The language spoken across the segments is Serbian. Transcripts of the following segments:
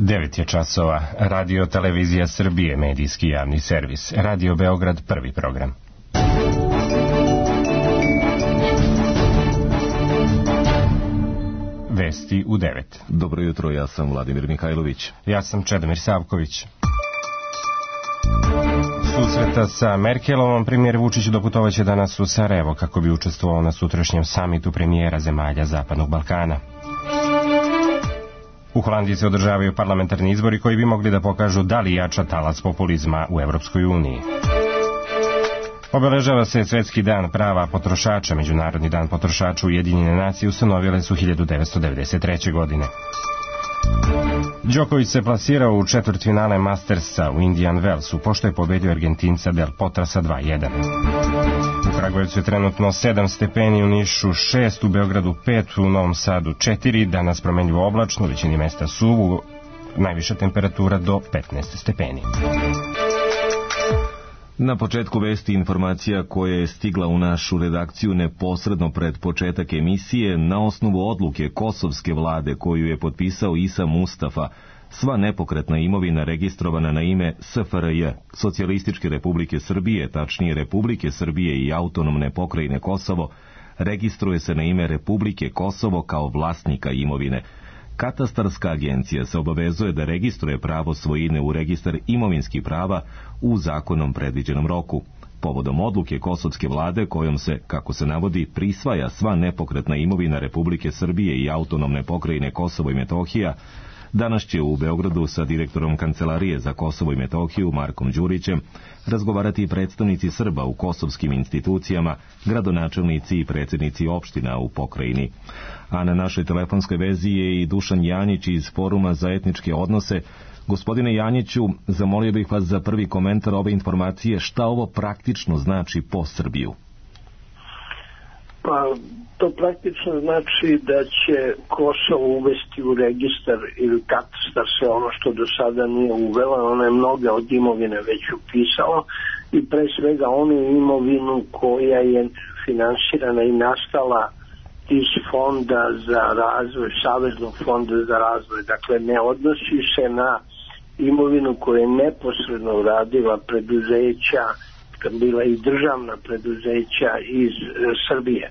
9 je časova. Radio Televizija Srbije, medijski javni servis. Radio Beograd, prvi program. Vesti u 9. Dobro jutro, ja sam Vladimir Mihajlović. Ja sam Čedomir Savković. Susreta sa Merkelovom premijer Vučić doputovaće danas u Sarajevo kako bi učestvovao na sutrašnjem samitu premijera zemalja Zapadnog Balkana. U Holandiji se održavaju parlamentarni izbori koji bi mogli da pokažu da li jača talas populizma u Evropskoj uniji. Obeležava se Svetski dan prava potrošača. Međunarodni dan potrošača Ujedinjene nacije ustanovile su 1993. godine. Đoković se plasirao u četvrtfinale Mastersa u Indian Wellsu, pošto je pobedio Argentinca Del Potrasa 2:1. U Kragujevcu je trenutno 7 stepeni, u Nišu 6, u Beogradu 5, u Novom Sadu 4, danas promenljivo oblačno, u većini mesta suvo, najviša temperatura do 15 stepeni. Na početku vesti informacija koja je stigla u našu redakciju neposredno pred početak emisije na osnovu odluke kosovske vlade koju je potpisao Isa Mustafa. Sva nepokretna imovina registrovana na ime SFRJ, Socijalističke Republike Srbije, tačnije Republike Srbije i Autonomne pokrajine Kosovo, registruje se na ime Republike Kosovo kao vlasnika imovine. Katastarska agencija se obavezuje da registruje pravo svojine u registar imovinskih prava u zakonom predviđenom roku. Povodom odluke kosovske vlade kojom se, kako se navodi, prisvaja sva nepokretna imovina Republike Srbije i Autonomne pokrajine Kosovo i Metohija, danas će u Beogradu sa direktorom Kancelarije za Kosovo i Metohiju Markom Đurićem razgovarati predstavnici Srba u kosovskim institucijama, gradonačelnici i predsjednici opština u pokrajini. A na našoj telefonskoj vezi je i Dušan Janjić iz Foruma za etničke odnose. Gospodine Janjiću, zamolio bih vas za prvi komentar ove informacije, šta ovo praktično znači po Srbiju? Pa, to praktično znači da će Kosovo uvesti u registar ili katastar sve ono što do sada nije uvela. Ona je mnoge od imovine već upisala i pre svega onu imovinu koja je finansirana i nastala iz fonda za razvoj, Saveznog fonda za razvoj. Dakle, ne odnosi se na imovinu koju je neposredno uradila preduzeća, bila i državna preduzeća iz Srbije.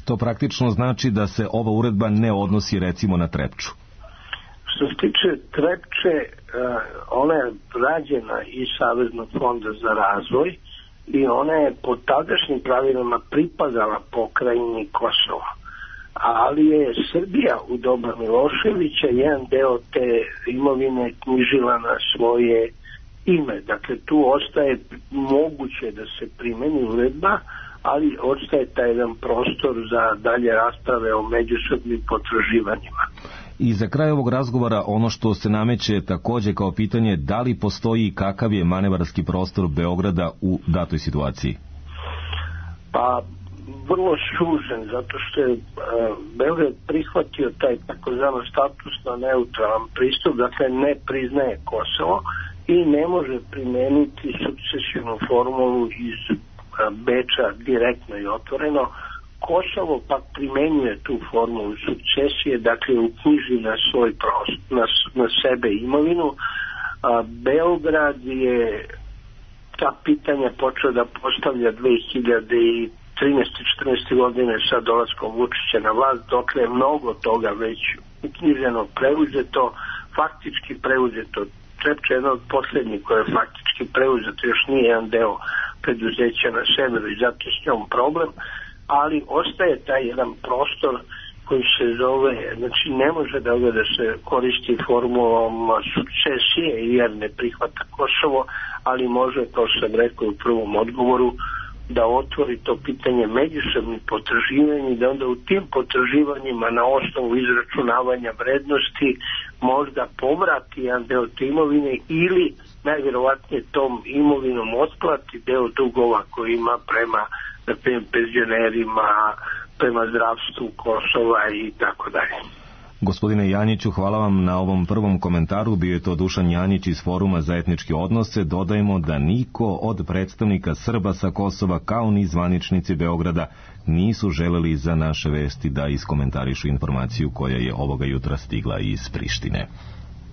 To praktično znači da se ova uredba ne odnosi recimo na Trepču. Što se tiče Trepče, ona je rađena iz Saveznog fonda za razvoj i ona je po tadašnjim pravilima pripadala pokrajini Kosova. Ali je Srbija u doba Miloševića jedan deo te imovine knjižila na svoje ime. Dakle, tu ostaje moguće da se primeni uredba, ali ostaje taj jedan prostor za dalje rasprave o međusobnim potraživanjima. I za kraj ovog razgovora ono što se nameće također kao pitanje, da li postoji i kakav je manevarski prostor Beograda u datoj situaciji? Pa, vrlo sužen, zato što je Beograd prihvatio taj takozvano statusno neutralan pristup, dakle ne priznaje Kosovo i ne može primeniti sukcesivnu formulu iz Beča direktno i otvoreno. Kosovo pak primenjuje tu formulu sukcesije, dakle uknjiži na svoj prostor, na sebe imovinu. Beograd je ta pitanja počeo da postavlja 2013. 14. godine sa dolaskom Vučića na vlast, dokle je mnogo toga već uknjiženo, preuzeto, faktički preuzeto. Trepča je jedna od posljednjih koja je faktički preuzeto, još nije jedan deo preduzeća na severu i zato je s njom problem, ali ostaje taj jedan prostor koji se zove, znači ne može da se koristi formulom sukcesije jer ne prihvata Kosovo, ali može, kao sam rekao u prvom odgovoru, da otvori to pitanje međusobnih potraživanja i da onda u tim potraživanjima na osnovu izračunavanja vrednosti možda povrati jedan deo te imovine ili najvjerovatnije tom imovinom otplati deo dugova koji ima prema penzionerima, prema zdravstvu Kosova i tako dalje. Gospodine Janjiću, hvala vam na ovom prvom komentaru. Bio je to Dušan Janjić iz Foruma za etničke odnose. Dodajemo da niko od predstavnika Srba sa Kosova, kao ni zvaničnici Beograda, nisu želeli za naše vesti da iskomentarišu informaciju koja je ovoga jutra stigla iz Prištine.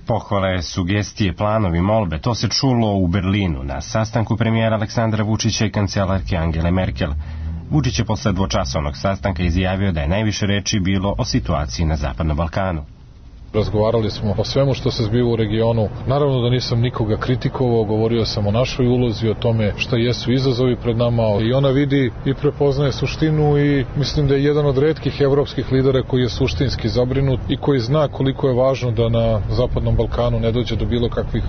Pohvale, sugestije, planovi, molbe, to se čulo u Berlinu na sastanku premijera Aleksandra Vučića i kancelarke Angele Merkel. Vučić je posle dvočasovnog sastanka izjavio da je najviše reči bilo o situaciji na Zapadnom Balkanu. Razgovarali smo o svemu što se zbiva u regionu. Naravno da nisam nikoga kritikovao, govorio sam o našoj ulozi, o tome šta jesu izazovi pred nama i ona vidi i prepoznaje suštinu i mislim da je jedan od retkih evropskih lidera koji je suštinski zabrinut i koji zna koliko je važno da na Zapadnom Balkanu ne dođe do bilo kakvih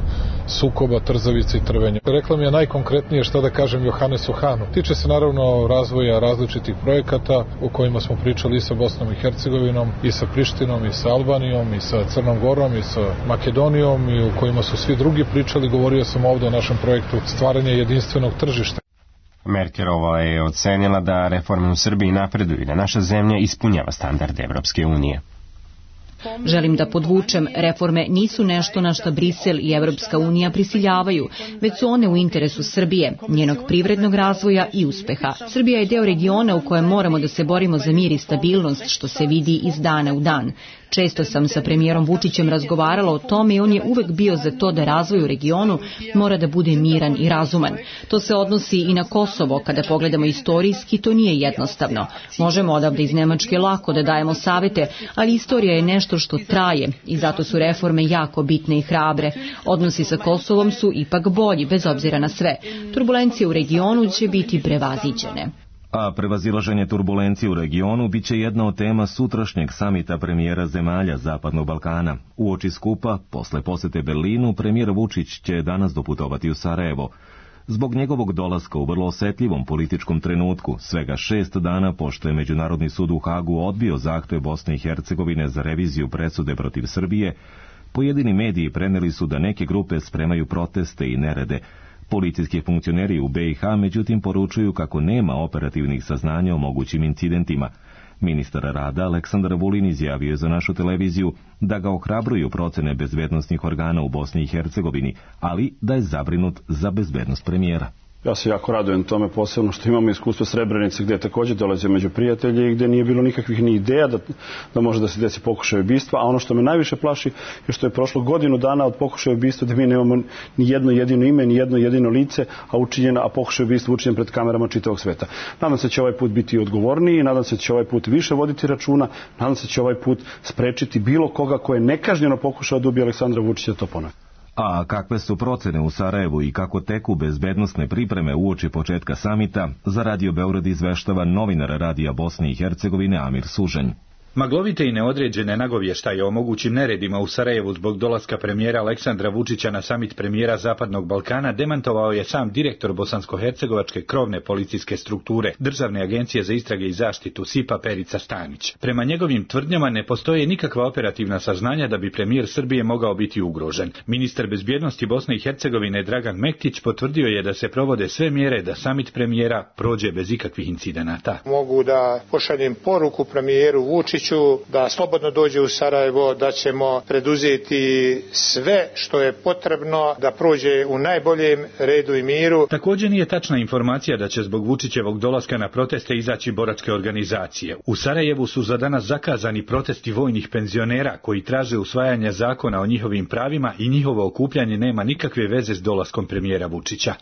sukoba, trzavica i trvenja. Rekla mi je najkonkretnije šta da kažem Johannesu Hahnu. Tiče se naravno razvoja različitih projekata o kojima smo pričali i sa Bosnom i Hercegovinom, i sa Prištinom, i sa Albanijom, i sa Crnom Gorom, i sa Makedonijom, i u kojima su svi drugi pričali. Govorio sam ovdje o našem projektu stvaranja jedinstvenog tržišta. Merkelova je ocenila da reforme u Srbiji napreduju i da naša zemlja ispunjava standarde Evropske unije. Želim da podvučem, reforme nisu nešto na što Brisel i Evropska unija prisiljavaju, već su one u interesu Srbije, njenog privrednog razvoja i uspeha. Srbija je deo regiona u kojem moramo da se borimo za mir i stabilnost, što se vidi iz dana u dan. Često sam sa premijerom Vučićem razgovarala o tome i on je uvek bio za to da razvoj u regionu mora da bude miran i razuman. To se odnosi i na Kosovo. Kada pogledamo istorijski, to nije jednostavno. Možemo odavde iz Nemačke lako da dajemo savete, ali istorija je nešto što traje i zato su reforme jako bitne i hrabre. Odnosi sa Kosovom su ipak bolji, bez obzira na sve. Turbulencije u regionu će biti prevaziđene. A prevazilaženje turbulencije u regionu biće jedna od tema sutrašnjeg samita premijera zemalja Zapadnog Balkana. Uoči skupa, posle posete Berlinu, premijer Vučić će danas doputovati u Sarajevo. Zbog njegovog dolaska u vrlo osetljivom političkom trenutku, svega 6 dana pošto je Međunarodni sud u Hagu odbio zahtev Bosne i Hercegovine za reviziju presude protiv Srbije, pojedini mediji preneli su da neke grupe spremaju proteste i nerede. Policijski funkcioneri u BiH međutim poručuju kako nema operativnih saznanja o mogućim incidentima. Ministar rada Aleksandar Vulin izjavio je za našu televiziju da ga ohrabruju procene bezbednosnih organa u Bosni i Hercegovini, ali da je zabrinut za bezbednost premijera. Ja se jako radujem tome, posebno što imamo iskustvo Srebrenice gdje također dolaze među prijatelji i gdje nije bilo nikakvih ni ideja da može da se desi pokušaj ubistva, a ono što me najviše plaši je što je prošlo godinu dana od pokušaja ubistva da mi nemamo ni jedno jedino ime, ni jedno jedino lice, a pokušaj ubistva učinjen pred kamerama čitavog sveta. Nadam se da će ovaj put biti odgovorniji, nadam se da će ovaj put više voditi računa, nadam se da će ovaj put sprečiti bilo koga ko je nekažnjeno pokušao da ubije Aleksandra Vučića da to ponovi. A kakve su procene u Sarajevu i kako teku bezbednosne pripreme uoči početka samita, za Radio Beograd izveštava novinar Radija Bosne i Hercegovine Amir Sužanj. Maglovite i neodređene nagovještaje o mogućim neredima u Sarajevu zbog dolaska premijera Aleksandra Vučića na samit premijera Zapadnog Balkana demantovao je sam direktor bosansko-hercegovačke krovne policijske strukture, Državne agencije za istrage i zaštitu SIPA Perica Stanić. Prema njegovim tvrdnjama ne postoje nikakva operativna saznanja da bi premijer Srbije mogao biti ugrožen. Ministar bezbjednosti Bosne i Hercegovine Dragan Mektić potvrdio je da se provode sve mjere da samit premijera prođe bez ikakvih incidenata. Mogu da pošaljem poruku premijeru Vučiću da slobodno dođe u Sarajevo, da ćemo preduzeti sve što je potrebno da prođe u najboljem redu i miru. Također nije tačna informacija da će zbog Vučićevog dolaska na proteste izaći boračke organizacije. U Sarajevu su za danas zakazani protesti vojnih penzionera koji traže usvajanje zakona o njihovim pravima i njihovo okupljanje nema nikakve veze s dolaskom premijera Vučića.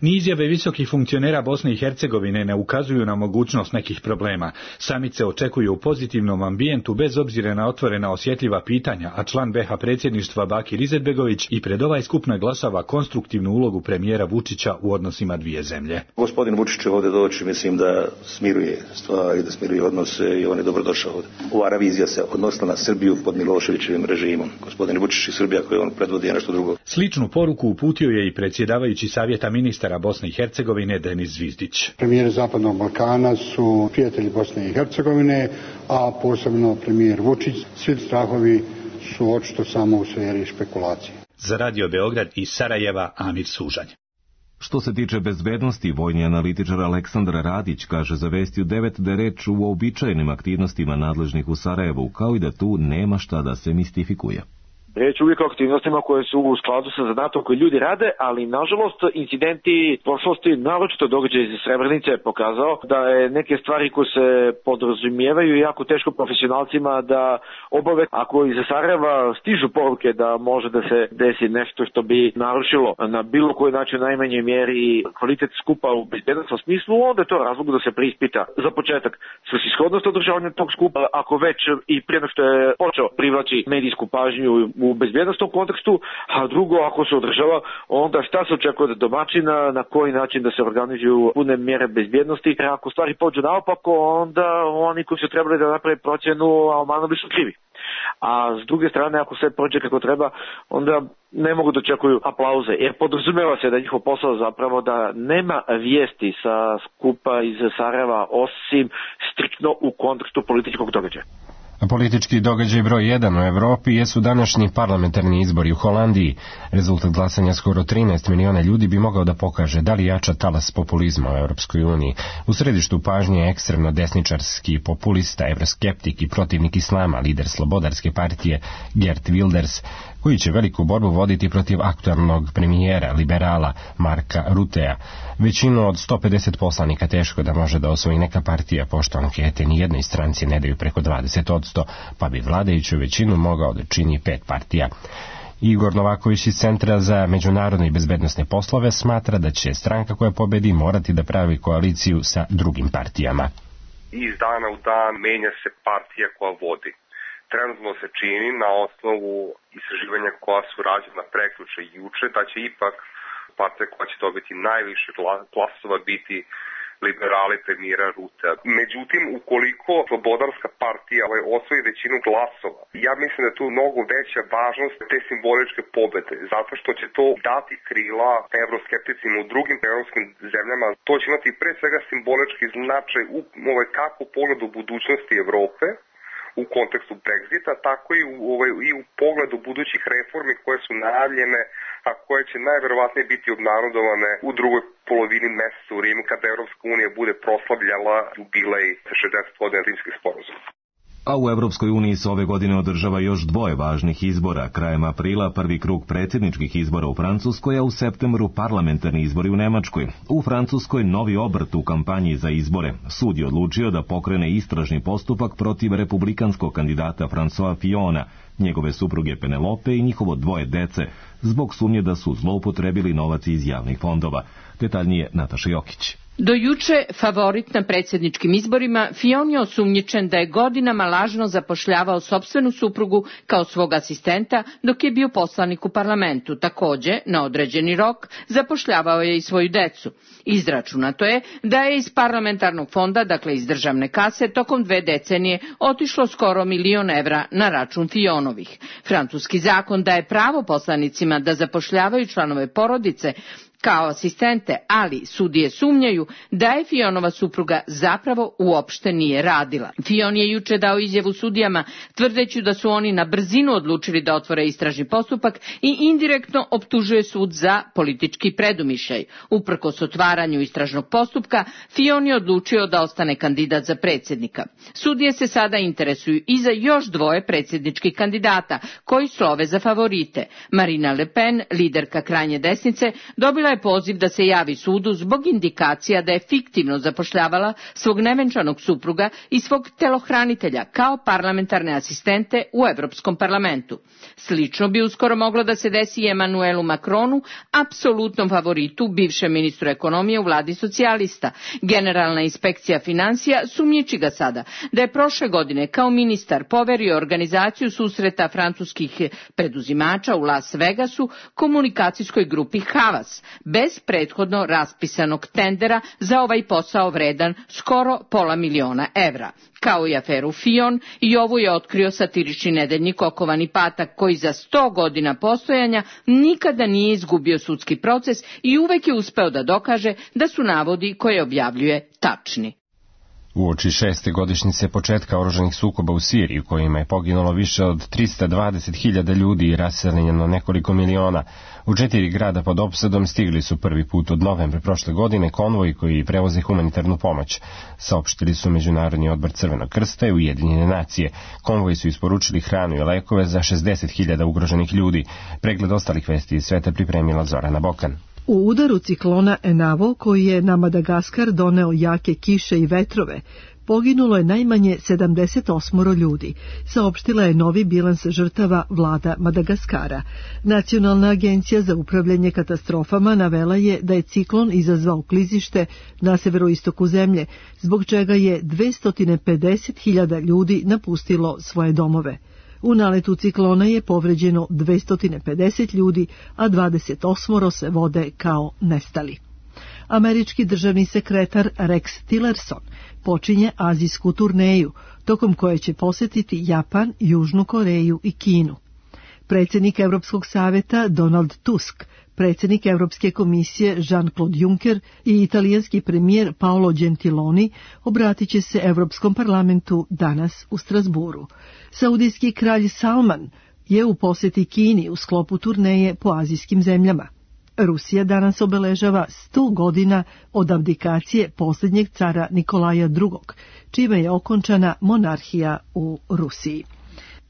Ni izjave visokih funkcionera Bosne i Hercegovine ne ukazuju na mogućnost nekih problema. Samit se očekuje u pozitivnom ambijentu bez obzira na otvorena osjetljiva pitanja, a član BiH predsjedništva Bakir Izetbegović i pred ovaj skup naglašava konstruktivnu ulogu premijera Vučića u odnosima dvije zemlje. Gospodin Vučić će ovdje doći, mislim da smiruje stvari, da smiruje odnose i on je dobrodošao ovdje. Ova revizija se odnosila na Srbiju pod Miloševićevim režimom. Gospodin Vučić i Srbija koju on predvodi je nešto drugo. Sličnu poruku uputio je i predsjedavajući Savjeta ministara Bosne i Hercegovine Denis Zvizdić. Premijeri Zapadnog Balkana su prijatelji Bosne i Hercegovine, a posebno premijer Vučić. Svi strahovi su očito samo u sferi špekulacije. Za Radio Beograd iz Sarajeva Amir Sužanj. Što se tiče bezbednosti, vojni analitičar Aleksandar Radić kaže za Vestiju 9 da je reč u uobičajenim aktivnostima nadležnih u Sarajevu, kao i da tu nema šta da se mistifikuje. Riječ uvijek o aktivnostima koje su u skladu sa zadatom koje ljudi rade, ali nažalost incidenti prošlosti, naročito događaj iz Srebrenice, je pokazao da je neke stvari koje se podrazumijevaju jako teško profesionalcima da obave. Ako iz Sarajeva stižu poruke da može da se desi nešto što bi narušilo na bilo koji način najmanje mjeri kvalitet skupa u bezbednosnom smislu, onda je to razlog da se preispita za početak svrsishodnost održavanja tog skupa, ako već i prije nego što je počeo privlači medijsku pažnju u bezbednostnom kontekstu, a drugo, ako se održava, onda šta se očekuje od domaćina, na koji način da se organizuju pune mjere bezbednosti. Ako stvari pođu naopako, onda oni koji su trebali da naprave procjenu Almanovi su krivi. A s druge strane, ako sve prođe kako treba, onda ne mogu da očekuju aplauze, jer podrazumeva se da je njihov posao zapravo da nema vijesti sa skupa iz Sarajeva osim striktno u kontekstu političkog događaja. Politički događaj broj 1 u Evropi jesu današnji parlamentarni izbori u Holandiji. Rezultat glasanja skoro 13 miliona ljudi bi mogao da pokaže da li jača talas populizma u Evropskoj uniji. U središtu pažnje je ekstremno desničarski populista, evroskeptik i protivnik islama, lider Slobodarske partije Geert Wilders, koji će veliku borbu voditi protiv aktualnog premijera, liberala Marka Rutea. Većinu od 150 poslanika teško da može da osvoji neka partija, pošto ankete nijednoj stranci ne daju preko 20%, pa bi vladajuću većinu mogao da čini 5 partija. Igor Novaković iz Centra za međunarodne i bezbednosne poslove smatra da će stranka koja pobedi morati da pravi koaliciju sa drugim partijama. Iz dana u dan menja se partija koja vodi. Trenutno se čini na osnovu istraživanja koja su rađena prekjuče i juče da će ipak partija koja će dobiti najviše glasova biti liberali premijera Rutea. Međutim, ukoliko Slobodarska partija osvoji većinu glasova, ja mislim da je tu mnogo veća važnost te simboličke pobede, zato što će to dati krila evroskepticima u drugim evropskim zemljama. To će imati pre svega simbolički značaj kako u pogledu budućnosti Evrope, u kontekstu Brexita, tako i u pogledu budućih reformi koje su najavljene, a koje će najverovatnije biti obnarodovane u drugoj polovini meseca u Rimu, kada Evropska unija bude proslavljala jubilej 60 godina Rimskih sporazuma. A u Evropskoj uniji se ove godine održava još 2 važnih izbora. Krajem aprila prvi krug predsjedničkih izbora u Francuskoj, a u septembru parlamentarni izbori u Nemačkoj. U Francuskoj novi obrt u kampanji za izbore. Sud je odlučio da pokrene istražni postupak protiv republikanskog kandidata François Fillona, njegove supruge Penelope i njihovo 2 dece, zbog sumnje da su zloupotrebili novac iz javnih fondova. Detaljnije Nataša Jokić. Do juče favorit na predsjedničkim izborima, Fillon je osumnjičen da je godinama lažno zapošljavao sopstvenu suprugu kao svog asistenta dok je bio poslanik u parlamentu. Također, na određeni rok, zapošljavao je i svoju decu. Izračunato je da je iz parlamentarnog fonda, dakle iz državne kase, tokom 2 decenije otišlo skoro 1 milion evra na račun Fillonovih. Francuski zakon daje pravo poslanicima da zapošljavaju članove porodice kao asistente, ali sudije sumnjaju da je Fillonova supruga zapravo uopšte nije radila. Fillon je juče dao izjavu sudijama tvrdeći da su oni na brzinu odlučili da otvore istražni postupak i indirektno optužuje sud za politički predumišljaj. Uprkos otvaranju istražnog postupka, Fillon je odlučio da ostane kandidat za predsjednika. Sudije se sada interesuju i za još 2 predsjedničkih kandidata koji slove za favorite. Marine Le Pen, liderka krajnje desnice, dobila je poziv da se javi sudu zbog indikacija da je fiktivno zapošljavala svog nevenčanog supruga i svog telohranitelja kao parlamentarne asistente u Europskom parlamentu. Slično bi uskoro moglo da se desi i Emmanuelu Macronu, apsolutnom favoritu, bivšem ministru ekonomije u vladi socijalista. Generalna inspekcija financija sumnjiči ga sada da je prošle godine kao ministar poverio organizaciju susreta francuskih preduzimača u Las Vegasu komunikacijskoj grupi Havas, bez prethodno raspisanog tendera za ovaj posao vredan skoro pola miliona evra. Kao i aferu Fillon, i ovu je otkrio satirični nedeljnik Okovani patak, koji za 100 godina postojanja nikada nije izgubio sudski proces i uvek je uspeo da dokaže da su navodi koje objavljuje tačni. Uoči 6. godišnjice početka oružanih sukoba u Siriji, u kojima je poginulo više od 320.000 ljudi i raseljeno nekoliko miliona, u 4 grada pod opsadom stigli su prvi put od novembra prošle godine konvoji koji prevoze humanitarnu pomoć. Saopštili su Međunarodni odbor Crvenog krsta i Ujedinjene nacije. Konvoji su isporučili hranu i lekove za 60.000 ugroženih ljudi. Pregled ostalih vesti iz sveta pripremila Zorana Bokan. U udaru ciklona Enavo, koji je na Madagaskar doneo jake kiše i vetrove, poginulo je najmanje 78 ljudi, saopštila je novi bilans žrtava vlada Madagaskara. Nacionalna agencija za upravljanje katastrofama navela je da je ciklon izazvao klizište na severoistoku zemlje, zbog čega je 250.000 ljudi napustilo svoje domove. U naletu ciklona je povređeno 250 ljudi, a 28 se vode kao nestali. Američki državni sekretar Rex Tillerson počinje azijsku turneju, tokom koje će posetiti Japan, Južnu Koreju i Kinu. Predsjednik Europskog saveta Donald Tusk, predsjednik Europske komisije Jean-Claude Juncker i italijanski premijer Paolo Gentiloni obratit će se Europskom parlamentu danas u Strasburu. Saudijski kralj Salman je u posjeti Kini u sklopu turneje po azijskim zemljama. Rusija danas obeležava 100 godina od abdikacije posljednjeg cara Nikolaja II, čime je okončana monarhija u Rusiji.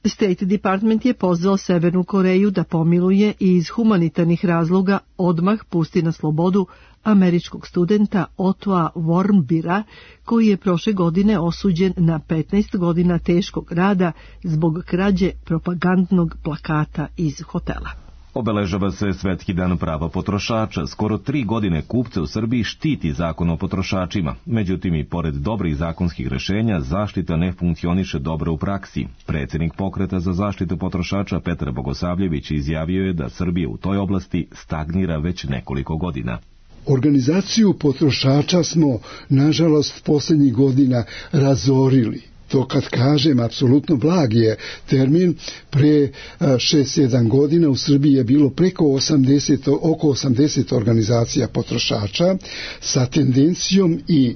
State Department je pozvao Severnu Koreju da pomiluje i iz humanitarnih razloga odmah pusti na slobodu američkog studenta Ottoa Warmbira, koji je prošle godine osuđen na 15 godina teškog rada zbog krađe propagandnog plakata iz hotela. Obeležava se Svetski dan prava potrošača. Skoro 3 godine kupce u Srbiji štiti zakon o potrošačima. Međutim, i pored dobrih zakonskih rešenja, zaštita ne funkcioniše dobro u praksi. Predsjednik Pokreta za zaštitu potrošača Petar Bogosavljević izjavio je da Srbija u toj oblasti stagnira već nekoliko godina. Organizaciju potrošača smo, nažalost, posljednjih godina razorili. To kad kažem, apsolutno blag je termin. Pre 6-7 godina u Srbiji je bilo oko 80 organizacija potrošača sa tendencijom i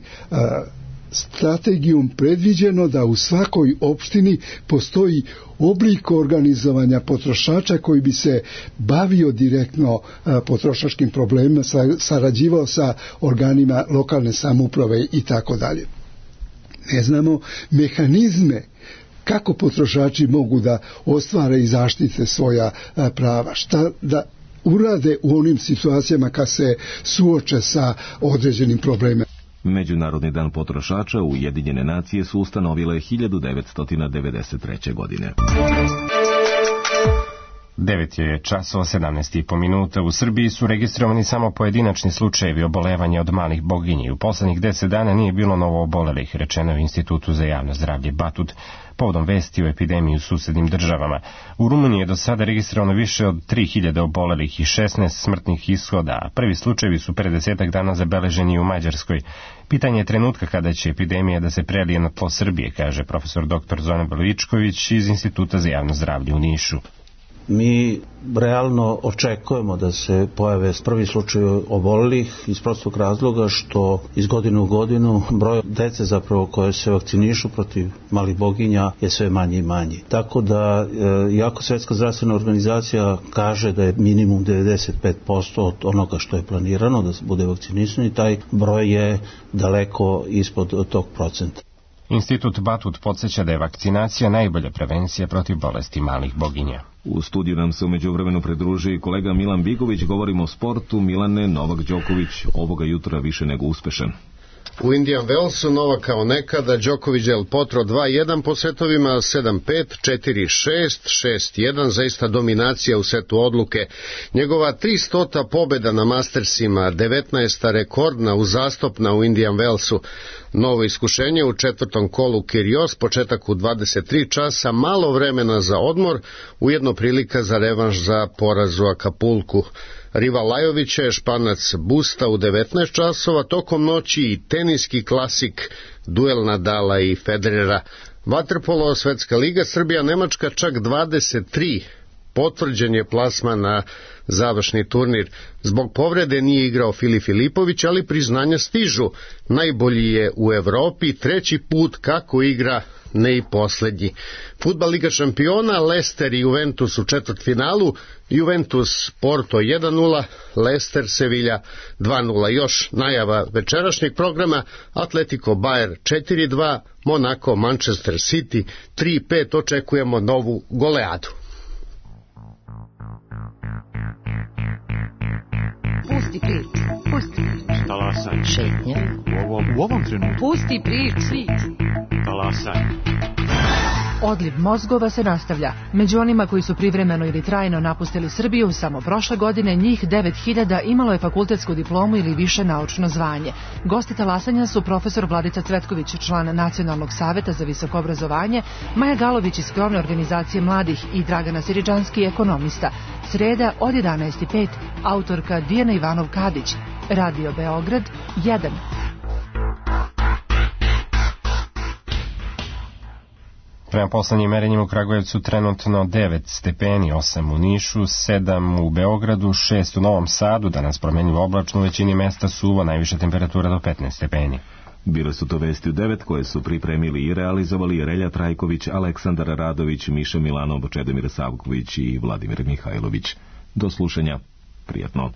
strategijom predviđeno da u svakoj opštini postoji oblik organizovanja potrošača koji bi se bavio direktno potrošačkim problemima, sarađivao sa organima lokalne samouprave i tako dalje. Ne znamo mehanizme kako potrošači mogu da ostvare i zaštite svoja prava, šta da urade u onim situacijama kad se suoče sa određenim problemima. Međunarodni dan potrošača Ujedinjene nacije su ustanovile 1993. godine. 9 je časova 17,5 minuta. U Srbiji su registrovani samo pojedinačni slučajevi obolevanja od malih boginji. U poslednjih 10 dana nije bilo novo obolelih, rečeno je u Institutu za javno zdravlje Batut, povodom vesti o epidemiji u susednim državama. U Rumuniji je do sada registrovano više od 3000 obolelih i 16 smrtnih ishoda, a prvi slučajevi su pre 10 dana zabeleženi u Mađarskoj. Pitanje je trenutka kada će epidemija da se prelije na tlo Srbije, kaže profesor dr. Zoran Belovičković iz Instituta za javno zdravlje u Nišu. Mi realno očekujemo da se pojave prvi slučaj obolelih iz prostog razloga što iz godine u godinu broj dece zapravo koje se vakcinišu protiv malih boginja je sve manji i manji. Tako da, iako Svjetska zdravstvena organizacija kaže da je minimum 95% od onoga što je planirano da se bude vakcinisan, taj broj je daleko ispod tog procenta. Institut Batut podsjeća da je vakcinacija najbolja prevencija protiv bolesti malih boginja. U studiju nam se umeđu vremenu pridruži kolega Milan Bigović. Govorimo o sportu. Milane, Novak Đoković ovoga jutra više nego uspešan. U Indian Wellsu Novak kao nekada, Đoković Del Potro 2-1 po setovima, 7-5, 4-6, 6-1, zaista dominacija u setu odluke. Njegova 300. pobjeda na Mastersima, 19. rekordna uzastopna u Indian Wellsu. Novo iskušenje u četvrtom kolu Kyrgios, početak u 23 časa, malo vremena za odmor, ujedno prilika za revanš za poraz u Akapulku. Rival Lajovića je Španac Busta u 19 časova, tokom noći i teniski klasik, duel Nadala i Federera. Vaterpolo, Svetska liga, Srbija, Nemačka čak 23 potvrđen je plasman na završni turnir. Zbog povrede nije igrao Filip Filipović, ali priznanja stižu. Najbolji je u Evropi, 3. put kako igra, ne i poslednji. Fudbal Liga šampiona, Leicester i Juventus u četvrtfinalu, Juventus Porto 1-0, Leicester Sevilla 2-0. Još najava večerašnjeg programa: Atletico Bayern 4-2, Monaco Manchester City 3-5. Očekujemo novu goleadu. Pusti priču, pusti priču. Talasaj. Šetnja. U ovom trenutku. Pusti priču. Talasaj. Odliv mozgova se nastavlja. Među onima koji su privremeno ili trajno napustili Srbiju, samo prošle godine njih 9000 imalo je fakultetsku diplomu ili više naučno zvanje. Gosti talasanja su profesor Vladica Cvetković, član Nacionalnog saveta za visoko obrazovanje, Maja Galović iz Krovne organizacije mladih i Dragana Siriđanski, ekonomista. Sreda od 11:05, autorka Dijana Ivanov-Kadić. Radio Beograd 1. Prema poslednjim merenjima u Kragujevcu trenutno 9 stepeni, 8 u Nišu, 7 u Beogradu, 6 u Novom Sadu, danas promenljivo oblačno, u većini mesta suvo, najviša temperatura do 15 stepeni. Bile su to vesti u 9 koje su pripremili i realizovali Relja Trajković, Aleksandar Radović, Miša Milanov, Čedomir Savković i Vladimir Mihajlović. Do slušanja. Prijatno.